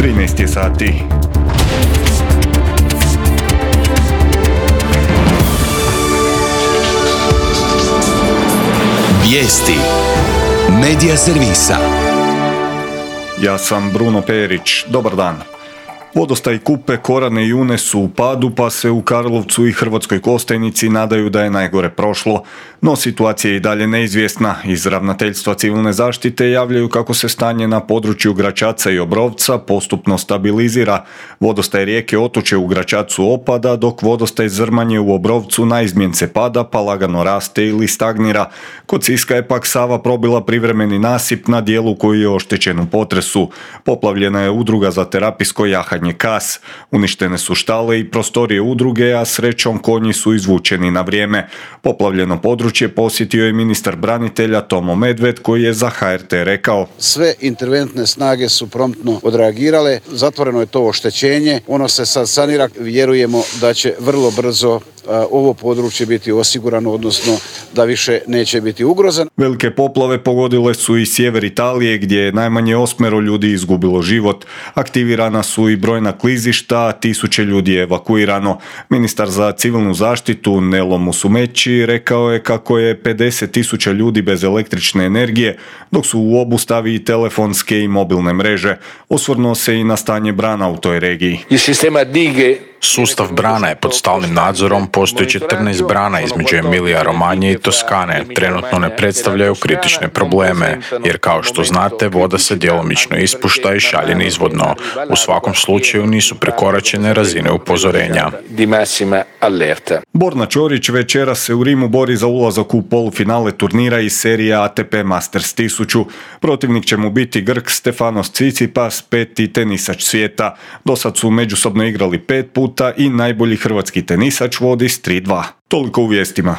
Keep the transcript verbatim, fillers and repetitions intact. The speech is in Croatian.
trinaest je sati. Vijesti Medija servisa. Ja sam Bruno Perić. Dobar dan. Vodostaj Kupe, Korane i Une su u padu, pa se u Karlovcu i Hrvatskoj Kostajnici nadaju da je najgore prošlo. No situacija je i dalje neizvjesna. Iz Ravnateljstva civilne zaštite javljaju kako se stanje na području Gračaca i Obrovca postupno stabilizira. Vodostaj rijeke Otoče u Gračacu opada, dok vodostaj Zrmanje u Obrovcu naizmjen se pada, pa lagano raste ili stagnira. Kod Siska je pak Sava probila privremeni nasip na dijelu koji je oštećen u potresu. Poplavljena je udruga za terapijsko jahanje Kas. Uništene su štale i prostorije udruge, a srećom konji su izvučeni na vrijeme. Poplavljeno područje posjetio je ministar branitelja Tomo Medved, koji je za H R T rekao: sve interventne snage su promptno odreagirale, zatvoreno je to oštećenje, ono se sad sanira, vjerujemo da će vrlo brzo a, ovo područje biti osigurano, odnosno da više neće biti ugrozan. Velike poplave pogodile su i sjever Italije, gdje je najmanje osmero ljudi izgubilo život. Aktivirana su i brojna klizišta, tisuće ljudi je evakuirano. Ministar za civilnu zaštitu Nelo Musumeci rekao je kako je pedeset tisuća ljudi bez električne energije, dok su u obustavi i telefonske i mobilne mreže. Osvrnuo se i na stanje brana u toj regiji. Sustav brana je pod stalnim nadzorom, postoji četrnaest brana između Emilija Romanje i Toskane. Trenutno ne predstavljaju kritične probleme, jer kao što znate, voda se djelomično ispušta i šalje nizvodno. U svakom slučaju nisu prekoračene razine upozorenja. Borna Ćorić večeras se u Rimu bori za ulazak u polufinale turnira iz serije A T P Masters tisuću. Protivnik će mu biti Grk Stefanos Tsitsipas, peti tenisač svijeta. Dosad su međusobno igrali pet puta i najbolji hrvatski tenisač vodi s tri dva. Toliko u vijestima.